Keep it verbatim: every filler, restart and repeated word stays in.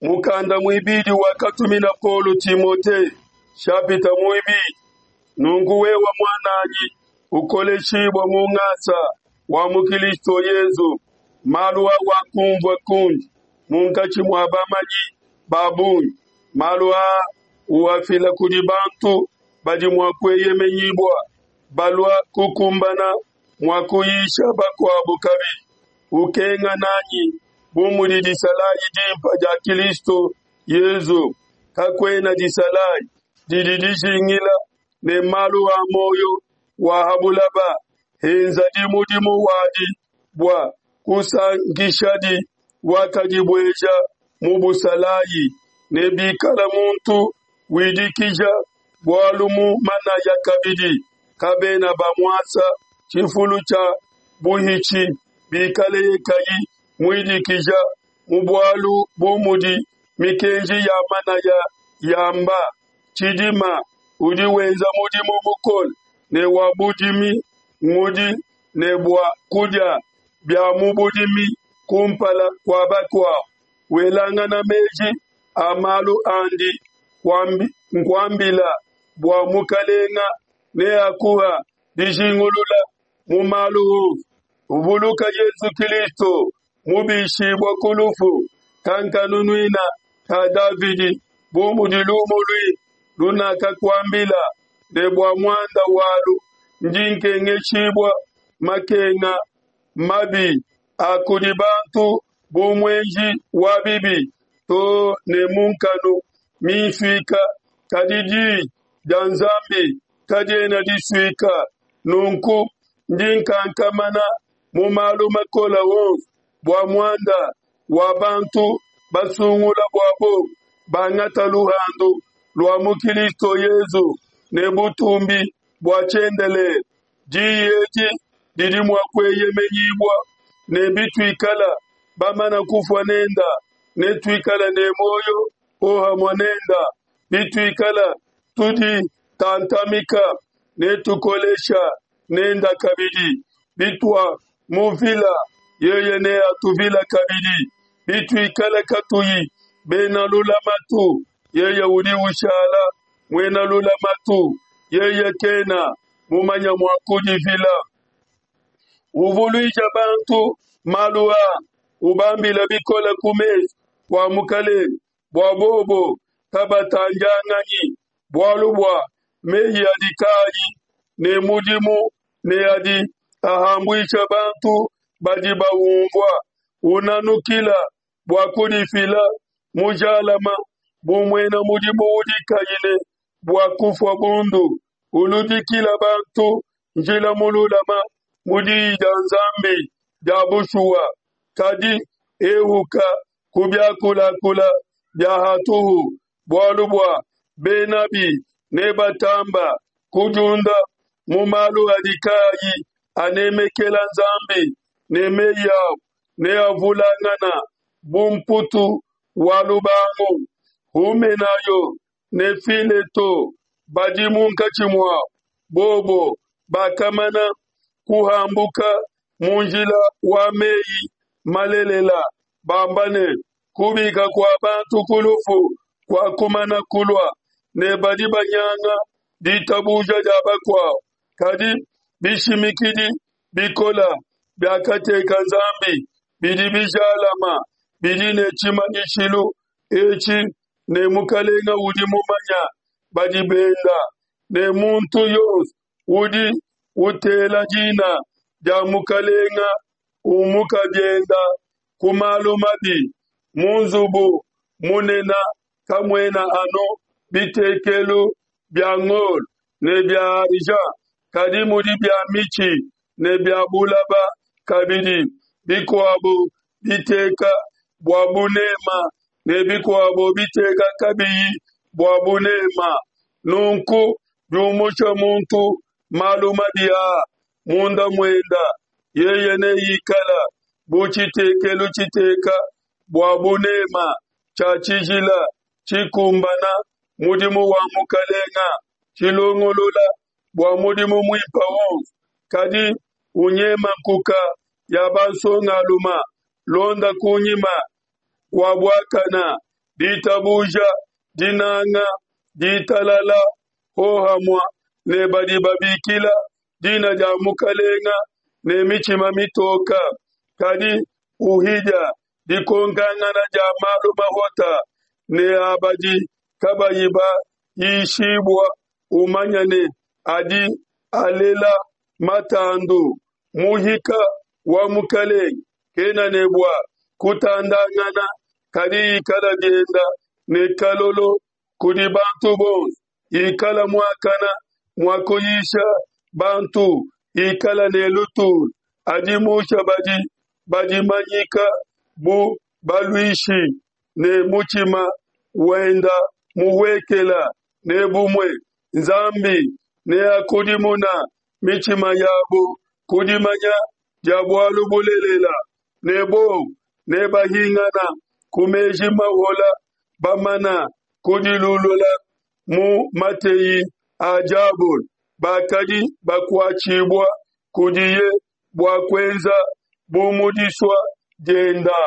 Mukanda muibidi wakatumina Paulo Timote, nshapita muibidi. Nunku wewe muananyi, ukoleshibua mu ngasa wa mu Kilisto Yezu. Malu awakumvua kundi munkatshi mua bamanyi ba bungi, malu aa uafila kudi bantu badi mua kueyemenyibua, balua kukumbana mua kuyisha bakuabu kabidi. Ukenga nanyi bu mudi disalayi dimpe dia Kilisto Yezu. Kakuena disalayi didi dijingila ne malu a muoyo wa ha bulaba, henzadi mudimu wadi bua kusankishadi wakadibueja mu busalayi. Ne bikala muntu widikija bualu mu manaya kabidi, kabena bamuasa tshifulu tshia buhitshi bikaleye kayi muidikija mu bualu bu mudi mikenji ya manaya yamba. Tshidima udi wenza mudimu mukole ne wa budimi ngudi ne bua kudia bia mu budimi kumpala kua bakuabu. Welangana meji a malu andi nkuambila bua Mukalenga neakuha dijingulula mu malu onso. Uvuluka Yezu Kilisto mubishibua ku lufu, kankanunuina ka Davidi, bu mudi lumu luimpe lunakakuambila, ne bua muanda walu ndi nkengeshibua makenga mabi a kudi bantu bu muenji wa bibi, too ne mu nkanu minsuika, kadi diyi dia Nzambi kadiena disuika. Nunku ndi nkankamana mu malu makole onso bua muanda wa bantu basungula bua bobo bangata luhandu lua mu Kilisto Yezu ne butumbi bua tshiendelele. Diyi edi didi mua kueyemenyibua, ne bituikala bamana kufua nenda, netuikale ne muoyo hohamue nenda. Bituikala tuditantamika, netukolesha nenda kabidi. Bituamuvila, yeye neatuvila kabidi. Bituikala katuyi bena lulamatu, yeye udi ushala muena lulamatu, yeye kena mumanya mua kudivila. Uvuluija bantu malu aa, ubambila bikole ku mesu kua Mukalenge, bua bobo kabatandianganyi bualu bua meyi adi kaayi ne mudimu ne adi ahambuisha bantu badi baumvua. Unanukila bua kudifila mujalama bu muena mudimu udi kayi ne bua kufua bundu, uludikila bantu njila mululama mu diyi dia Nzambi dia bushuwa. Kadi ehuka ku biakulakula bia hatuhu, bualu bua benabi nebatamba kudiunda mu malu adi kaayi anemekela Nzambi, ne meyi abu neavulangana bu mputu wa lubangu. Humenayo ne Fileto badi munkatshi muabo, bobo bakamana kuhambuka mu njila wa meyi malelela, bamba ne, kubika kua bantu ku lufu kuakumana kulua, ne badi banyanga ditabuja dia bakuabo. Kadi bishimikidi bikola biakateka Nzambi bidi bijalama, bidi ne tshimanyishilu etshi ne, Mukalenga udi mumanya badi benda, ne muntu yonso udi utela dina dia Mukalenga umuka bienda ku malu mabi. Mu nzubu munena kamuena anu bitekelu bia ngolo ne bia argent, kadi mudi bia mitshi ne bia bulaba kabidi, bikuabo biteka bua bunema ne bikuabo biteka kabiyi bua bunema. Nunku biumusha muntu malu mabi aa munda muenda, yeye neikala bu tshitekelu tshiteka bua bunema tshia tshijila, tshikumbana mudimu wa Mukalenga, tshilongolola bua mudimu muimpe wonso. Kadi unyema nkuka ya bansongaluma, londa kunyima kua buakana, Ditabuja, dinanga, ditalala hohamua ne badi babikila dina dia Mukalenga ne mitshima mitoka. Kadi uhidia dikonkangana dia malu mahota ne a badi kabayi bayishibua, umanya ne adi alela matandu. Muhika wa Mukalenge kena ne bua kutandangana, kadi ikala bienda ne kalolo kudi bantu bonso, ikala muakana mua kuyisha bantu, ikala ne lutulu, adimusha badi badimanyika bu baluishi ne mutshima wenda muhuekela ne bumue Nzambi neakudimuna mitshima yabo ku dimanya dia bualu bulelela, ne bobu nebahingana ku meji mahola bamana kudilulula mu mateyi a diabolo bakadi bakuatshibua kudiye bua kuenza bu mu disua dienda.